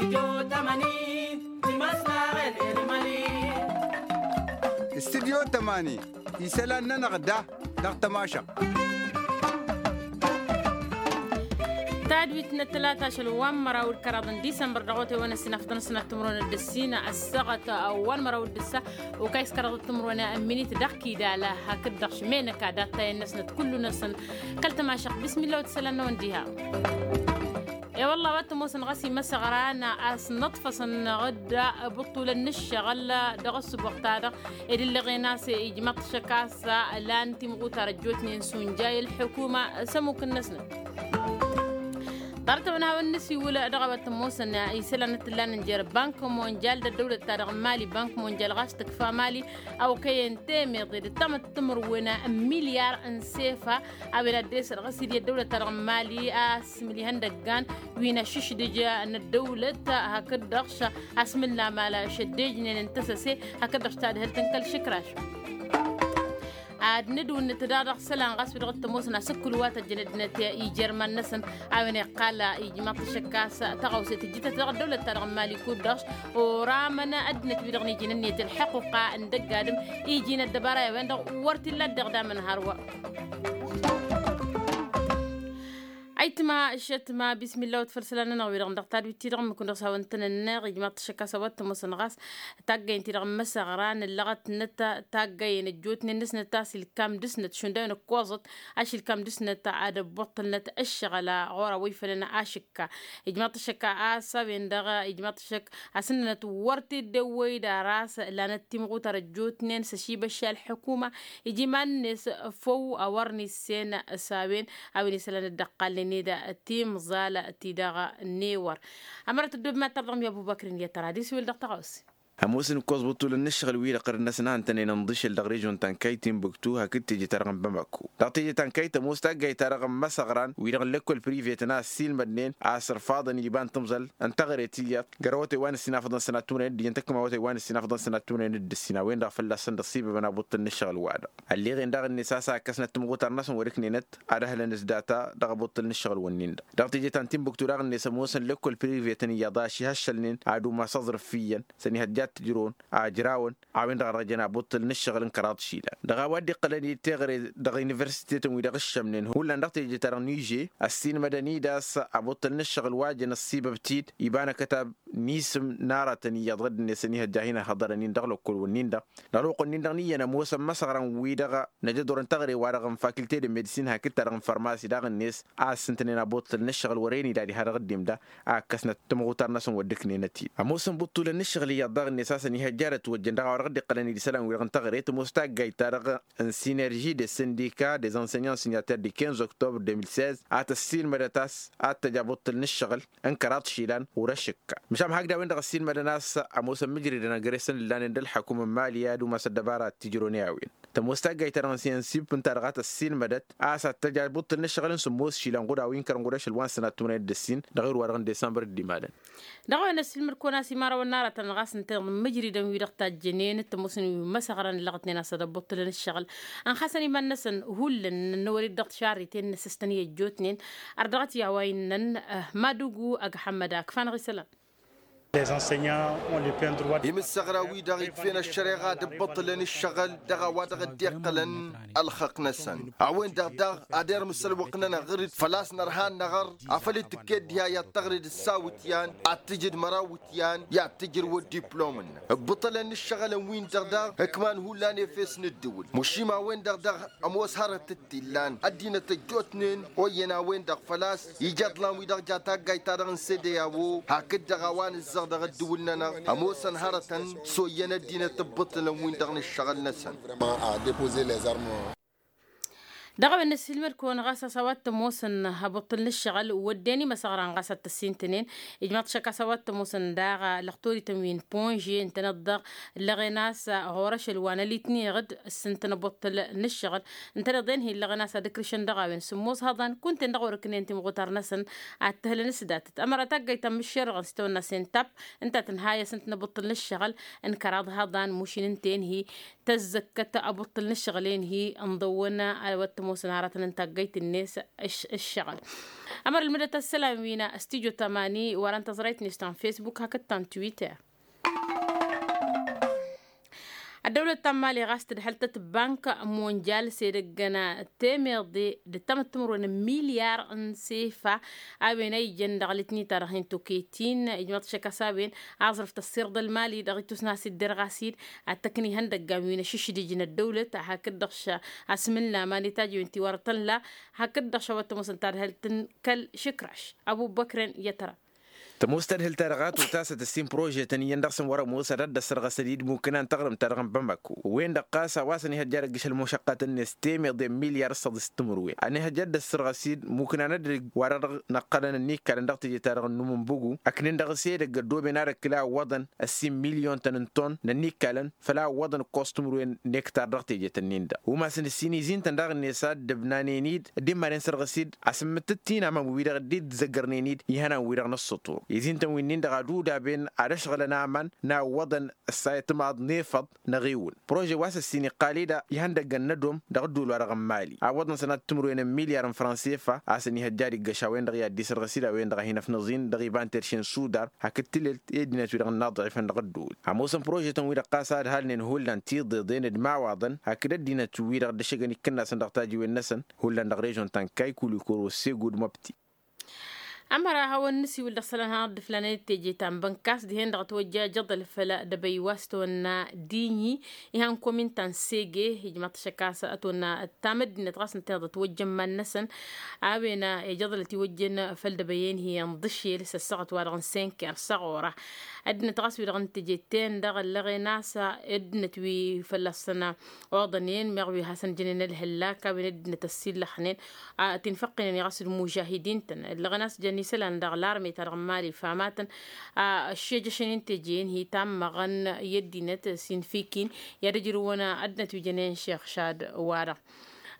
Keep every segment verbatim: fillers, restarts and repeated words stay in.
Studyo tămani isălan-nănăɣ da dăɣ-tămašăɣt. Tadwit n-ăttălata ašăl wa n-măraw d-kăraḍ n-disămbăr dăɣ-otay wa n-ăssinafăḍăn sănat timǝrwen d-ăssin ăssaɣăt wa n-măraw d-ǝssa. Okăy s-kăraḍ timǝrwen n-minit dăɣ-kidal hakd-dăɣ šmenăka d-attayăn-năsnăt kullu-năsăn. Kăl-tămašăɣt bismillah wa t-isălan-năwăn diha. E-wălla wa t-ămoosăn ɣas imăsăɣran a-s nǝṭfăsăn ɣǝdda bǝṭṭulăn n-ǝššăɣǝl dăɣ-ăssǝboɣ-ta-dăɣ ed ǝllăɣen a-s ijmaḍ-t šăkk a-s lan timɣutar ăjjootnen s-unjay ălḥukuma s-ămmuk-năsnăt. Ḍarăt-awăn a hawăn-nǝsiwǝl dăɣ-a-wa t-ămoosăn isălan n-tǝllan n-jer-bank monjal d-ăddăwlăt-ta-dăɣ n-mali bank monjal ɣas tǝkfa mali a okăyăn temeḍe d-tamăttǝmǝrwen n-milyar n-sefa. A-wen ad-dd-esăr ɣas idi ăddăwlăt-ta-dăɣ n-mali a-s mǝl ihăndăggan wi n-ašǝšdǝj n-ăddăwlăt hakd-dăɣ a-s mǝl n-amal šăddejnen n-tăsăse hakd-dăɣ tadhǝlt n-kăl-išǝkraš. Ad-nǝdwǝnnǝt daɣ dăɣ-isălan ɣas wi-dăɣ t-ămoosăn asǝkkǝl wa tăjjăn ăddinăt i-jer-iman-năsăn. A-wen iqqal ijmaḍ-t ašăk a-s tăɣawse tǝjjǝtăt dăɣ-ăddăwlăt-ta-dăɣ n-mali kud-dăɣ s-oramăn ăddinăt wi-dăɣ n-iji n-ǝnniyăt ălḥăqquqa n-dăgg-adǝm iji n-ăddăbara i-a-wen-dăɣ wăr t-illa dd-iɣdamăn hărwa. Ayǝtma ǝššătma bismillah wa t-făll-isălan-nănăɣ wi-dăɣ dăɣ-tadwit-ti-dăɣ ǝmmǝk-wen-dăɣ s-hawăn-tăn-ănneɣ ijmaḍ-t ašăk a-s a-wa t-ămoosăn ɣas taggayăn-ti-dăɣ n-imăsăɣran ǝllăɣătnăt taggayăn ăjjootnen-năsnăt a-s ilkam dăɣ-snăt šund a-wen ǝkkoẓăt ašilkam dăɣ-snăt ad-ăbbuṭṭălnăt ǝššăɣǝl ɣur-a-wa ifălăn ašǝkka. Ijmaḍ-t ašăk a-s a-wen-dăɣ ijmaḍ-t ašăk a-s ǝnnănăt wăr t-dd-ăwwăy d-aras lanăt timɣutar ăjjootnen s-ăšibăšša ălḥukuma iji iman-net făw a wăr nissen s-a-wen a-wen isălan dd-ăqqalnen-dd timẓal-ti-dăɣ n-ewăr. Ămărăt ăddob ma tărdăɣ mi-ăbubăkr n-iyyăt tăra ad-iswǝl dăɣ-tăɣawse. Ămoosăn ǝkkoẓ bǝṭṭulăn n-ǝššăɣǝl-wi-dăɣ ɣur-năsăn a ǝntănen ǝnḍǝšǝl dăɣ-režon ta n-kayt timbuktu hakd teje-ta-dăɣ n-bamako. Dăɣ-teje ta n-kayt ămoos taggayt-ta-dăɣ n-imăsăɣran wi-dăɣ n-lăkkol privetăn a ăssiilmădnen a-s ărfaḍăn iba n-timẓal n-teɣăre tiyyăḍ gărăwătay wa n-ǝssinafăḍăn sănat tumrăyăn d-ijăn tăkkămawătay wa n-ǝssinafăḍăn sănat tumrăyăn d-ǝssin a-wen-dăɣ fălla-săn dd-ăṣṣibăbăn abuṭṭǝl n-ǝššăɣǝl-wa-dăɣ. Ălleɣen daɣ-net a-s a ǝkkăsnăt timɣutar-năsăn wăr-ǝknenăt ad-ăhlăn s-data dăɣ-abuṭṭǝl n-ǝššăɣǝl-wǝnnin-dăɣ. Dăɣ-teje ta n-timbuktu daɣ-net ămoosăn lăkkol privetăn iyyăḍ a ăšihăššălnen ad-umas aẓrǝf iyyăn s-ănihăjja ad-t-ǝjrăwăn ajrawăn a-wen-dăɣ a dăɣ-jăn abuṭṭǝl n-ǝššăɣǝl n-kăraḍ išilan. Dăɣ-a-wa dd-iqqălăn i-teɣăre dăɣ-universitetăn wi-dăɣ ǝššămnen hullan dăɣ-teje-ta-dăɣ n-iže ăssiilmădăn-dd a-s abuṭṭǝl n-ǝššăɣǝl wa jăn ăṣṣibăb-t-dd iba n-akătab n-isǝm n-aratăn iyyăḍ ɣǝdd-net ănihăjja a hin-ăhhăḍărăn-in dăɣ-lăkkol-wǝnnin-dăɣ. Dăɣ-lăwăqq-wǝnnin-dăɣ n-iyyăn ămoosăn măsăɣran-wi-dăɣ năjădor n-teɣăre-wa-dăɣ n-fakilte de medsin hakd-ta-dăɣ n-farmasi daɣ-net a ǝssǝntănen abuṭṭǝl n-ǝššăɣǝl wăren ila diha dăɣ-dd-imda a ǝkkăsnăt timɣutar-năsăn wăr dd-ǝknenăt-dd. Ămoosăn buṭṭulăn n-ǝššăɣǝl iyyăḍ daɣ-net a-s ănihăjja ad-ătwăjjăn dăɣ-a-wa dăɣ-dd-iqqălăn d-isălan-wi-dăɣ n-teɣăre tămoos taggayt-ta-dăɣ n-sinerži de săndika des enseignants signataires du quinze octobre deux mille seize a tăssiilmădăt a-s ad-tăj abuṭṭǝl n-ǝššăɣǝl n-kăraḍ išilan ɣur-ašǝkka. Măšan hakd a-wen-dăɣ ăssiilmădăn a-s ămoosăn mǝjridăn ăgg-resăn ǝllanen d-ălḥăkum n-mali ad-umas ăddăbara ad-t-ijrăwăn i-a-wen. Tămoos taggayt-ta-dăɣ n-sinsip ǝnta-dăɣ a tăssiilmădăt a-s ad-tăj abuṭṭǝl n-ǝššăɣǝl n-sǝmmos išilan ɣud a-wa inkărăn ɣur-ašăl wa n-sănat tumănăyăt d-ǝssin dăɣ-irwa-dăɣ n-disămbăr dd-imalăn. Dăɣ-a-wen ăssiilmăd-kăwăn a-s imărawăn n-aratăn ɣas ǝntăneḍ n-mǝjridăn-wi-dăɣ tajjănen tămoosăn wi măsăɣrăn ǝllăɣătnen a-s ad-ăbbuṭṭǝlăn ǝššăɣǝl ănxasăn iman-năsăn hullan n-ănwăr-dd dăɣ-tišarriten n-asǝstăn i-ăjjootnen. Ărdăɣăt i-a-wa innăn madugu ăgg ăḥămmăd akf'-anăɣ isălan. Imǝssăɣra-wi-dăɣ ikf'-en ăššăreɣa ad-ǝbbăṭṭǝlăn ǝššăɣǝl dăɣ-a-wa dăɣ-dd-iqqălăn ălxăqq-năsăn. A-wen-dăɣ daɣ ad-irmǝs ălwăqq-nănăɣ ɣǝr-dd făl-a-s nărha ad-năɣăr afăl dd-tǝkked diha i-ad-tăɣred ǝssawǝtyan ad-tǝjǝd măraw iwǝtyan i-ad-tǝjrǝw ăddiplom-năk. Ǝbbǝṭălăn n-ǝššăɣǝlăn-win-dăɣ daɣ ǝkman hullan efes n-ǝddǝwǝl măšim a-wen-dăɣ daɣ ămoos hărăt t-illan ăddinăt ăjjootnen oyyăn a-wen-dăɣ făl-a-s ija iḍlan-wi-dăɣ ja taggayt-ta-dăɣ n-sede a-wo hakd-dăɣ a-wa nǝzzăɣ dăɣ-ăddǝwǝl-nănăɣ ămoosăn hărătăn s-oyyăn ăddinăt ǝbbǝṭǝlăn-win-dăɣ n-ǝššăɣǝl-năsăn. Dăɣ-a-wen năssiilmăd-kăwăn ɣas a-s a-wa t-ămoosăn abuṭṭǝl n-ǝššăɣǝl wădden imăsăɣran ɣas ad-t-ăssintănen. Ijmaḍ-t šăkk a-s a-wa t-ămoosăn daɣ lăxtorităn wi n-ponže ǝntăneḍ-dăɣ ǝllăɣen a-s ɣur-ašăl wa n-ălitniɣ-dd ǝssǝntăn abuṭṭǝl n-ǝššăɣǝl ǝntăneḍ-en hi-ǝllăɣen a-s ad-ǝkrǝšăn dăɣ-a-wen sǝmmos hăḍan kunta-en dăɣ-wăr-ǝknen timɣutar-năsăn ad-t-ăhlăn s-datăt ămăra taggayt ta n-mǝššerăɣăn s-tawănna s-en tapp ǝnta a tǝnha-yăs ǝntăneḍ abuṭṭǝl n-ǝššăɣǝl n-kăraḍ hăḍan mušin ǝnta-en hi tăzzăkkăt abuṭṭǝl n-ǝššăɣǝl-en hi ǝnḍăwăn a-wa Ămoosăn aratăn n-taggăyt-net ǝššăɣǝl. Ămăr ǝlmǝdăt ăssălam wi n-studyo tamani wăren tăẓrayt-net ta n-facebook hakd ta n-twitter. Ăddăwlăt ta n-mali ɣas tǝdhăl-tăt bank monjal s-edăggăn temeḍe d-ăttamăt timǝrwen n-milyar n-sefa a-wen a ijăn dăɣ-litni-ta-dăɣ hin-toketin ijmăḍ šăkkas a-wen aẓrǝf tăssirḍăl mali dăɣ-itus n-asidder ɣas-id ad-tăkni ihăndăggan wi n-ašǝšdij n-ăddăwlăt hakd-dăɣ. Asmǝlna ma n-itajiwen ti wăr tălla hakd-dăɣ šăwăt tămoosăn tadhălt n-kăl-išǝkraš. Ăbubăkrăn i-tăra. Tămoos tadhǝlt-ta-dăɣ a totasăt ǝssin prožetăn iyyăn dăɣ-săn wăr-ămoos ad-dd-ăssărɣăsăn-dd mukǝna n-taɣrǝmt-ta-dăɣ n-bamako wen-dăɣ ɣas a-wa s-ănihăjja ad-ǝggǝšăl mušăqqatăn-net temeḍe n-milyar s-săḍis timǝrwen ănihăjja ad-dd-ăssărɣăs-dd mukǝna n-ăddinăt wa dăɣ-năqqălăn ănnikalăn dăɣ-teje-ta-dăɣ n-numǝnbǝgu ăknen dăɣ-s edăgg ăddooben ad-ǝkkǝl a ǝwwăḍăn ăssin milyun-tăn n-ton n-ănnikalăn făll-a ǝwwăḍăn ǝkkoẓ timǝrwen n-ektar dăɣ-teje-tăn-in-dăɣ umasăn ǝssin izin-tăn daɣ-net a dd-ǝbnanen-dd dd-immanen sărɣǝs-dd asǝmmǝttǝt ti n-aman wi-dăɣ dd-izzăggărnen-dd ihănan-wi-dăɣ n-ăssăṭur izin-tăn wi-nin-dăɣ ad-udaben ad-ăšɣǝlăn aman n-a ǝwwăḍăn ăssayăt maḍ n-efăḍ n-aɣiwǝl prože wa s-ăssin iqqal-dd ihăndăggăn n-ădom dăɣ-ădduul-wa-dăɣ n-mali a ǝwwăḍăn sănat timǝrwen n-milyar n-fransefa a-s ănihăjja ad-iggăš a-wen-dăɣ i-ad-dd-isărɣǝs-dd a-wen-dăɣ a hin-ăfnăẓ-in dăɣ-iba n-terše n-sudar hakd tǝlelt i-ăddinăt-wi-dăɣ n-inaḍ ɣifăn dăɣ-ădduul ămoosăn prožetăn-wi-dăɣ ɣas a ǝdhalnen hullan tiḍeḍen d-imawaḍăn hakd ăddinăt-wi-dăɣ dd-ăššăgăn ikǝnnasăn dăɣ-tajiwen-năsăn hullan dăɣ-režon ta n-kaykulikoro segud măbti. Ămăra a hawăn-nǝsiwǝl dăɣ-isălan hanăɣ-dd-ǝflanăn d-teje ta n-bănkas dihen-dăɣ ătwăjja ajăḍăl făll-dăbăy wa s-tăwănna diɲi ihan komin ta n-sege ijmaḍ-t ašăk a-s ătwănna ăttam ăddinăt ɣas ǝntăneḍ ătwăjja n-iman-năsăn. A-wen ijăḍăl ătiwăjjen făll-dăbăy-en hi-en ḍǝšel s-ăssaɣăt wa dăɣ-n senker s-aɣora ăddinăt ɣas wi-dăɣ n-teje-ten-dăɣ ăllăɣen a-s ăddinăt wi fălla-săn oḍănen meɣ wi hasăn-jănen ălhăllak a-wen ăddinăt ăssillăxnen tinfăqqinen i-ɣas d-mužahidin-tăn ăllăɣen a-s jăn isălan dăɣ-larme-ta-dăɣ n-mali famatăn. Ăššejăšăn-in teje-en hi-tammăɣăn i-ăddinăt sinfikin i-ad-ǝjrǝwăn ăddinăt wi jănen šexšad-wa-dăɣ.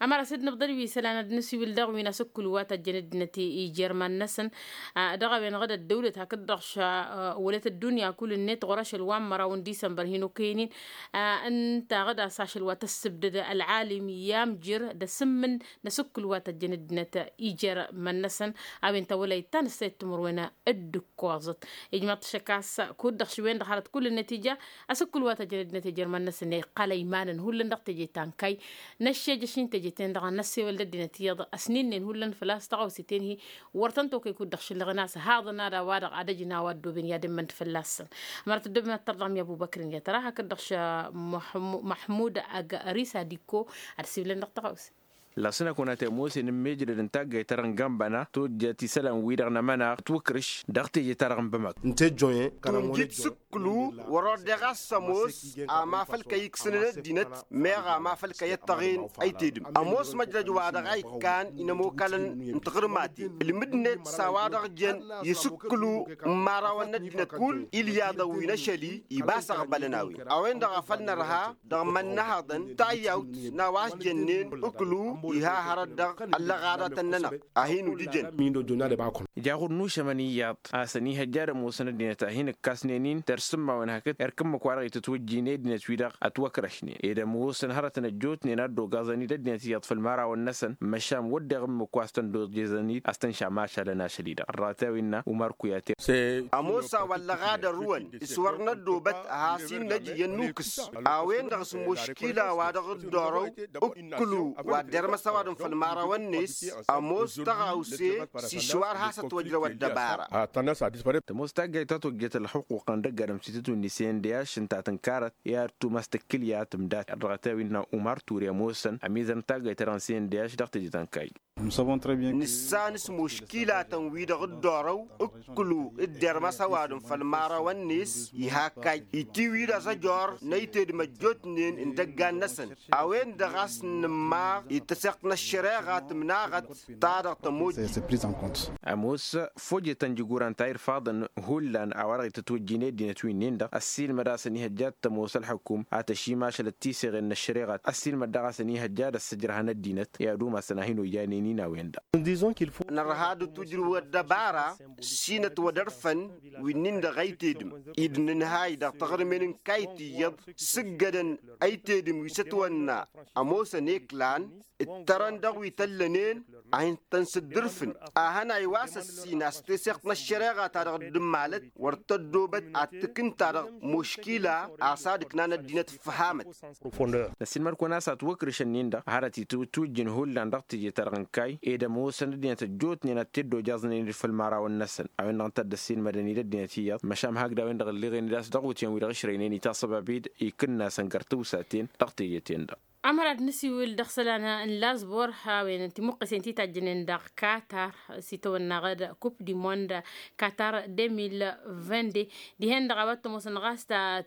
Ămăra s-dd-nǝbḍăl wi isălan ad-nǝsiwǝl dăɣ-wi n-asǝkkǝlu wa tăjjăn ăddinăt ijer iman-năsăn dăɣ-a-wen ɣǝd ăddăwlăt hakd-dăɣ ša wălăt ăddunya kull-net ɣur-ašăl wa n-măraw n-disămbăr hin-okăyăn-in. Ǝnta ɣǝd a-s ašăl wa tăssǝbdăd ălɣalim i-amjǝr d-asǝmmǝn n-asǝkkǝl wa tăjjăn ăddinăt ijer iman-năsăn. A-wen tawălayt ta n-ǝssayăt timǝrwen d-ǝkkoẓăt ijmaḍ-t ašăk a-s kud-dăɣ š-wen-dăɣ hărăt kull-net ija asǝkkǝl wa tăjjăn ăddinăt ijer iman-năsăn iqqăl ăymanăn hullan dăɣ-teje ta n-kayy n-ăššejăš n-teje-ten-dăɣ ad-năssewăl d-ăddinăt iyyăḍ ăsnǝnnen hullan făl-a-s tăɣawse-ten-hi. Wăr tăn-tokăy kud-dăɣ šǝllăɣăn a-s haḍăn ad-a-wa-dăɣ ad-ăjǝn a-wa ăddooben i-ad-ǝmmăn-dd fălla-săn. Ămăra tăddobem ad-tărdăɣ mi-ăbubăkr n-i-ad-tăra hakd-dăɣ š-măḥmud ăgg ărisa dikko ad-ăsiwǝlăn dăɣ-tăɣawse. Lasǝnăk wănăt i-ămoos i-inǝmmejrăd n-taggayt-ta-dăɣ n-gambăna tojjăt isălan-wi-dăɣ n-amănaɣ ătwǝkrǝš dăɣ-teje-ta-dăɣ n-bămăk. Ǝnta ejjoyăn. Tunjǝt s-ǝkkǝlu wăr-oddăɣ a-s ămoos ama făl kăy-iksǝnăn ăddinăt meɣ ama făl kăy-ăttăɣen ăytedǝm ămoos măjrăj wa dăɣ-a ikkan inămokalăn n-tiɣǝrmaten ǝlmǝd-net s-a-wa-dăɣ jăn i-asǝkkǝlu n-imărawăn n-ăddinăt kull ilyaḍăn wi n-ašăl-i iba s-ăɣbălăn a-wen a-wen-dăɣ a făl nărha dăɣ-imănnăhăḍăn tayyawt n-a-wa s-jănnen ǝkkǝlu iha hărăt dăɣ-ăllăɣadatăn-nănăɣ. A hin-ujǝjăn. Ija ɣur-nušămăn iyyăḍ a-s ănihăjja ad-ămoosăn ăddinăt a hin-ǝkkasnen-in tersǝmmawen hakd erk ǝmmǝk-wa-dăɣ itǝtwǝjjin i-ăddinăt-wi-dăɣ ătwăkrăšnen ed ămoosăn hărătăn ăjjootnen a dd-ogaẓăn-dd ăddinăt iyyăḍ făll-imărawăn-năsăn măšan wădden ǝmmǝk wa s-tăn-dd-oẓeẓăn-dd a-s tăn-šam ašălăn ašăl-i-dăɣ ărratăwin n-umar kuyate. Ămoos a-wa ăllăɣadărrǝwăn s-wăr năddoobăt ad-has-in-năj iyyăn nukǝs a-wen-dăɣ s-muškila wa dăɣ-dd-orăw ǝkkǝlu wa dd-ermăs ăwadǝm făll-imărawăn-net. Ămoos tăɣawse s-išwar has-ătwăjrăw ăddăbara. Tămoos taggayt ta tojjăt ălxuqquq n-dăgg-adǝm s-itǝtwǝnni s-e n d-ašš ǝnta tǝnkarăt i-ad-tumas tǝkkǝlya tǝmdat ărrăɣăt a-wi n-umar ture ămoosăn ămizăr n-taggayt-ta-dăɣ n-s e n d-ašš dăɣ-teje ta n-kayy. Nǝssan s-muškilatăn-wi-dăɣ dd-orăw ǝkkǝlu dd-ermăs ăwadǝm făll-imărawăn-net iha kayy itiwǝy d-azăjor n-ăytedǝm ăjjootnen n-idăggan-năsăn. A-wen-dăɣ a-s nǝmmaɣ i-tăseɣt n-ăššăreɣa tǝmnaɣăt ta dăɣ-tămojjit. Ămoos fojetăn jiguran ta irfaḍăn hullan a-wa-dăɣ itǝtwǝjjin i-ăddinăt wi-nin-dăɣ ăssiilmăd a-s ănihăjja ad-tămoos ălxukum ad-tăšimašălăt tiseɣen n-ăššăreɣa ăssiilmăd daɣ a-s ănihăjja ad-ăssăjrăhăn ăddinăt i-ad-umasăn a hin-ojanen-in a-wen-dăɣ. Nărha d-tujrǝw ăddăbara s-inătwădărfăn wi-nin-dăɣ ăytedǝm-i d-nǝnhay dăɣ-taɣrǝmen n-kayt iyyăḍ sǝggădăn ăytedǝm wi s-ătwănna ămoosăn eklan. Tărăn dăɣ-wi tăllănen a hin-tăn-sǝddǝrfǝn. Ahăn a iwasăssin a-s teseɣt n-ăššăreɣa-ta-dăɣ dd-ǝmmalăt wăr tăddoobăt ad-t-tǝkǝn-ta-dăɣ muškila a-s ad-ǝknan ăddinăt ǝffăhamăt. Năssiinmăr-kăwăn a-s ătwăkrǝšăn-in-dăɣ hărăt itwǝtwǝjjǝn hullan dăɣ-teje-ta-dăɣ n-kayy ed ămoosăn ăddinăt ăjjootnen ad-t-dd-ojăẓnen d-făll imărawăn-năsăn a-wen-dăɣ ǝnta a dd-ăssiinmădăn-dd ăddinăt iyyăḍ măšan hakd a-wen-dăɣ ǝlleɣen-dd a-s dăɣ-iwǝtyan-wi-dăɣ ǝšrăynen itaṣăbab-dd ikǝnnasăn găr tǝwsaten. Dăɣ-teje-ten-dăɣ. Ămăra d-nǝsiwǝl dăɣ-isălan n-lazbor a-wen timǝqqǝsen ti tajjănen dăɣ-katar s-itawănna ɣǝd kup di mond katar deux mille vingt-deux. Dihen-dăɣ a-wa t-ămoosăn ɣas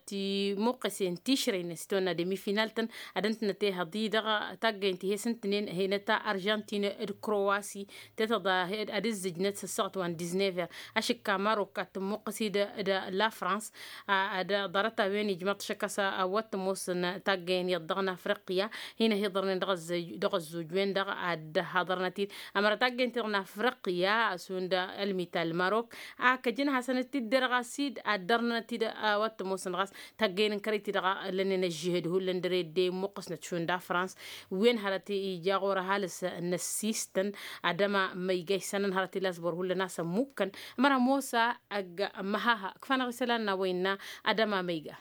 timǝqqǝsen tišrăynen s-itawănna demi-final-tăn ad-ǝntǝnăt ehăḍ-i-dăɣ. Taggăyăn ti he-s ǝntǝnen henăt arjantin d-krowasi tetăḍa ad-ǝzzǝjnăt s-ăssaɣăt wa n-disnever. Ašǝkka marok ad-tǝmmuqqǝs-dd d-lafrans ad-ḍarăt-a-wen ijmăḍ šăkk a-s a-wa t-ămoosăn taggăyăn iyyăḍ dăɣ-nafriqya. Hin-ăhiḍărnen dăɣ-ăzzuj-wen-dăɣ ad-dd-haḍărnăt-dd ămăra taggăyăn-ti-dăɣ nafriqya. Šund ălmital marok a kăjăn hasăn-t-dd-derɣas-dd ad-dărnăt-dd a-wa t-ămoosăn ɣas taggăyăn n-kărăy-ti-dăɣ. Lănnen ăžžihăd hullan dăr-e dd-immuqqǝsnăt šund afrans wen hărăt ija ɣur-ăhalǝs n-ăssiistăn ad-ăma măyga isănăn hărăt ilasbor hullan a-s ămmukkăn. Ămăra mosa ăgg măhaha ǝkfanăɣ isălan n-a-wa innă ad-ăma măyga.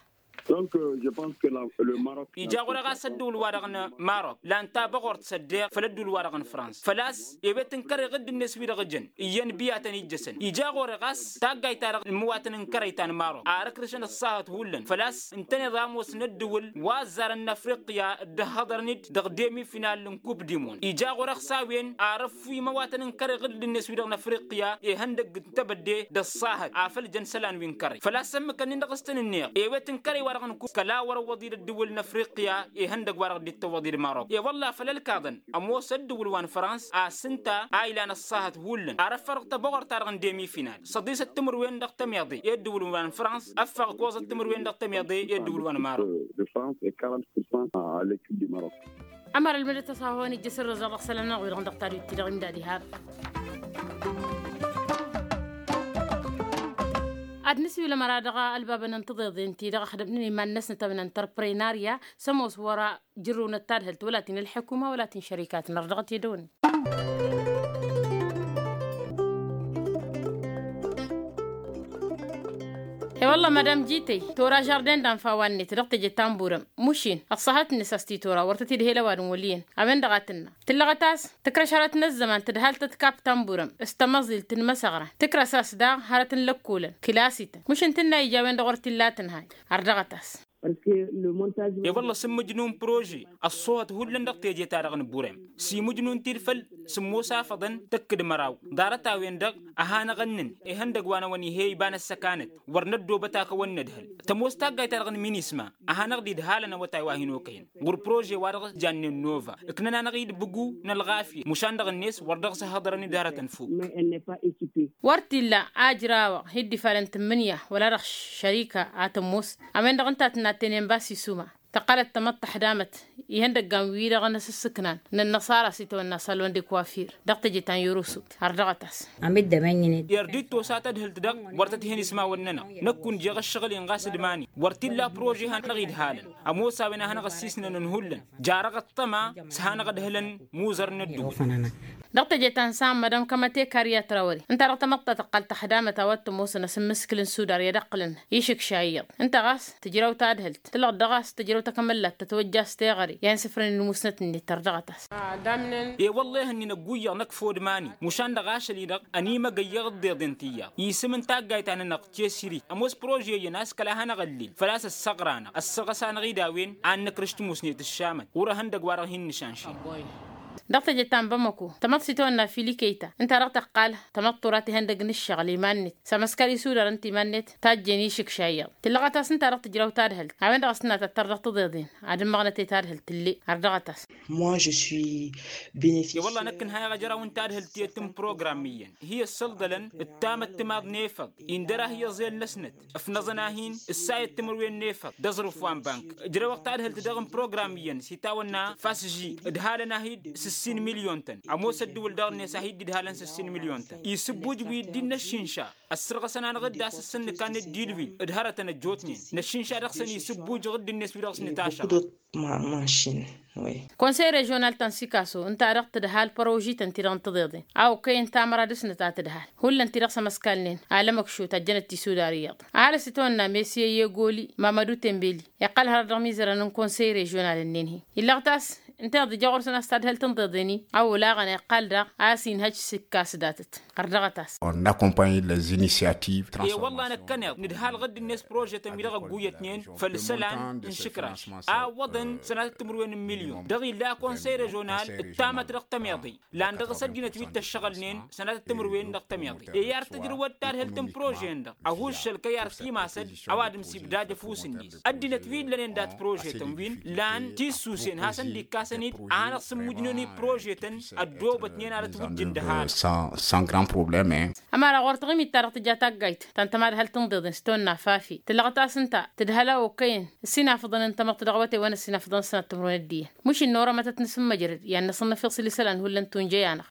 Ija ɣur-e ɣas ăddǝwǝl-wa-dăɣ n-marok lan tabăɣort s-ăddeɣ făll-ăddǝwǝl-wa-dăɣ n-frans făl-a-s ewet n-kăre ɣǝdd-net wi-dăɣ jăn iyyăn biyatăn ijjăsăn. Ija ɣur-e ɣas taggayt-ta-dăɣ n-imǝwatăn n-kărăy ta n-marok ar ǝkrǝšăn ăṣṣahăt hullan făl-a-s ǝntăneḍ ămoos n-ăddǝwǝl wa ăzzarăn n-afriqya dd-ăhhăḍărăn-dd dăɣ-demi-final n-kup dimon. Ija ɣur-e ɣas a-wen ar ăffu imǝwatăn n-kăre ɣǝdd-net wi-dăɣ n-afriqya ihăndăgg n-tebădde d-ăṣṣahăt afăl jăn isălan wi n-kărăy făl-a-s ămmǝk ǝnnin dăɣ-s tăn-ǝnneɣ ewet n-kărăy wa-dăɣ n-kup kăla wăr-ăwwăḍ-dd ăddǝwǝl n-afriqya ihăndăgg wa-dăɣ dd-tăwwăḍ-dd marok. E-wălla făll-ălkaḍăn ămoos ăddǝwǝl wa n-frans a-s ǝnta a ilan ăṣṣahăt hullan ar ăffăɣ dăɣ-tăbăɣort-ta-dăɣ n-demi-final săḍisăt timǝrwen dăɣ-tămeḍe i-ăddǝwǝl wa n-frans ăffăɣ ǝkkoẓăt timǝrwen dăɣ-tămeḍe i-ăddǝwǝl wa n-marok. Ămăra ălmǝdăt a-s a-hawăn-ijjăs ǝrrǝẓăɣ dăɣ-isălan-nănăɣ wi-dăɣ dăɣ-tadwit-ti-dăɣ imdad ihab. Ad-nǝsiwǝl ămăra dăɣ-ălbabăn n-tiḍeḍen-ti-dăɣ ăxdămnen iman-năsnăt ămăna n-tărprăynarya s-ămoos wăr-jǝrrǝwnăt tadhǝlt wăla ti n-ălḥukuma wăla ti n-šărikatăn ărdăɣăt i-dăwăn. E-wălla madam jităy tora žarden d-anfa wa-net dăɣ-teje tamburăm mušin ăṣṣahăt-net a-s ti tora wăr tăt-id-hel ăwadǝm wăl' iyyăn. A-wen-dăɣ a tǝnna tǝllăɣăt a-s tǝkrăš hărăt n-ăzzăman tǝdhal-tăt kap tamburăm s-tamăẓilt n-imăsăɣran tǝkrăs a-s daɣ hărăt n-lăkkolăn kǝlasităn mušin tǝnna ija a-wen-dăɣ wăr t-illa tǝnhăy. Ărdăɣăt-as. E-wălla s-ǝmmǝjnu n-prože ăṣṣoohăt hullan dăɣ-teje-ta-dăɣ n-burem s-imǝjnu n-tirfăl s-ămoos afăḍăn tăkk d-măraw ḍarăt-a-wen-dăɣ. A hanăɣ-ǝnnǝn ihăndăg wa n-awăn ih'-e iba n-ăssăkanăt wăr năddoobăt akăwăn nădhǝl tămoos taggayt-ta-dăɣ n-minisma a hanăɣ-dd-idhalăn awătay wa hin-okăyăn ɣur-prože-wa-dăɣ jannen nova ǝknăn-anăɣ-dd bǝgu n-ălɣafyăt mušan dăɣ-net wăr dăɣ-s ăhhăḍărăn-dd hărătăn fuk. Wăr t-illa ajrawăɣ hi-dd-ifalăn tǝmmǝnǝya wăla dăɣ-šărika a tămoos. A-wen-dăɣ ǝnta a tǝnna tenenbas isuma tăqqălăt tamăḍt taḥdamăt ihăndăggan-wi-dăɣ n-asǝssǝknan n-ănnăṣara s-itawănna salon de kuwafir dăɣ-teje ta n-yorosut. Ărdăɣăt-as. Ird-dd-tosa tadhǝlt-dăɣ wăr tăt-hen ismawăn-nănăɣ. Năkk unjeɣ ǝššăɣǝl-in ɣas d-iman-i wăr t-illa prože hanăɣ-idhalăn ămoos a-wen a hanăɣ-ăssiisnănăn hullan jarăɣ ăṭṭăma s-hanăɣ-ădhǝlăn muzăr n-ădduul. Dăɣ-teje ta n-san mădăm kămăte karya trawări ǝnta-dăɣ tamăḍt ta tăqqal taxdamăt a-wa t-ămoosăn asǝmmǝskǝl n-sudar i-ad-ǝqqǝlăn išǝkša iyyăḍ ǝnta ɣas tǝjraw tadhǝlt tǝlɣăt dăɣ-a-s tǝjraw takămăllat tătwăjja a-s teɣăre i-ad-nǝsǝfrǝnăn musnăt-net ărdăɣăt-as. E-wălla-i hănnǝnăggu iyyăḍ năkk fodmani mušan dăɣ-ašăl-i-dăɣ ănimăgăyyăɣ ǝḍḍeḍen tiyyăḍ isǝm n-taggayt-ta-nănăɣ cesiri ămoos prože iyyăn a-s kăla hanăɣ-ăllil făl-a-s ăssăɣra-năɣ ăssăɣăs-anăɣ-dd a-wen ad-nǝkrǝš timusnet ǝššamăt ɣur-ehăndăg wa dăɣ-hin-nǝšanšin. Dăɣ-teje ta n-bamako tamăḍt s-itawănna fili kăyta ǝnta-dăɣ tăqqal tamăḍt tura tihăndăg n-ǝššăɣǝl iman-net s-amăskar isudar ǝnta iman-net tajjen išǝkša iyyăḍ tǝllăɣăt-as ǝnta-dăɣ tǝjraw tadhǝlt a-wen-dăɣ a-s tǝnna tăttăr dăɣ-tiḍeḍen ad-ǝmmăɣnăt i-tadhǝlt tǝlle. Ărdăɣăt-as. I-wălla năkk ǝnhayăɣ ajraw n-tadhǝlt tiyyăt n-program iyyăn hi-ăssălḍălăn d-tamăttimaḍ n-efăḍ indăr-ahi iẓel-năsnăt ǝfnăẓăn-ahin ǝssayăt timǝrwen n-efăḍ d-aẓrǝf wa n-bank. Ǝjrăwăɣ tadhǝlt dăɣ-n program iyyăn s-itawănna fasži ǝdhalăn-ahi-dd. Ǝssin milyon-tăn ămoos ăddǝwǝl dăɣ-net a hi-dd-idhalăn s-ǝssin milyon-tăn isǝbbuj wi dd-innăššinša. Ăssărɣăsăn-anăɣ-dd a-s ǝssǝnnǝk ad-nǝddi ǝlwǝy d-hărătăn ăjjootnen năššinša dăɣ-săn isǝbbuj ɣǝdd-net wi-dăɣ s-nǝtašăɣ. Konsey režional ta n-sikaso ǝnta-dăɣ tǝdhal părožităn-ti-dăɣ n-tiḍeḍen a okăyăn tamăra dăɣ-snăt a tǝdhal. Hullan-ti dăɣ-s ămăskalnen alămăkšot ăjjănăt tisudar iyyăḍ. Ad-dăɣ-s itwănna mesiye i-egoli mamădu tembeli iqqăl hărăt dăɣ-imizărăn n-konsey režional-ǝnnin-hi. Illăɣ-t a-s ǝnta iḍǝjja ɣur-săn a-s tadhǝlt n-tiḍeḍen-i a olaɣăn iqqăl daɣ a-s inhăj s-ikkas datăt. Ɣăr dăɣ-t a-s. Ănnakompany lăzinisiyativ. E-wălla năkkăneḍ nǝdhal ɣǝdd-net prožetăn wi-dăɣ ăgguyyătnen făll-isălan n-išǝkraš a ǝwwăḍăn sănatăt timǝrwen n-milyon dăɣ-illa konsey režional ǝttamăt dăɣ-tămeḍe. Lan dăɣ-s ăddinăt wi t-ăššăɣǝlnen sănatăt timǝrwen dăɣ-tămeḍe e-i ar tǝjrǝwăd tadhǝlt n-prože-en-dăɣ ăhuššăl kăy-ar timasăd. Ăwadǝm s-ibdad ăfuss-net ăddinăt wi ǝllănen dat-prožetăn win lan tissusen hasăn-dd-ikkasăn-dd a hanăɣ-sǝmmujnen i-prožetăn ăddoobătnen ad-ătwǝjjǝn d-ăhalăɣ. Ămăra ɣur-taɣǝmit-ta-dăɣ tǝja taggayt ta n-tămadhălt n-iḍeḍen s-tonna fafi tǝlăɣăt a-s ǝnta tǝdhăl a okăyăn ǝssinafăḍăn n-tamăḍt dăɣ-awătay wa n-ǝssinafăḍăn ăssănat timǝrwen d-iyyăn. Mǝšin n-orămătăt n-asǝmmăjrăd i-ad-năsǝnnăfiḍ s-ălisălan hullan tunjăy-anăɣ.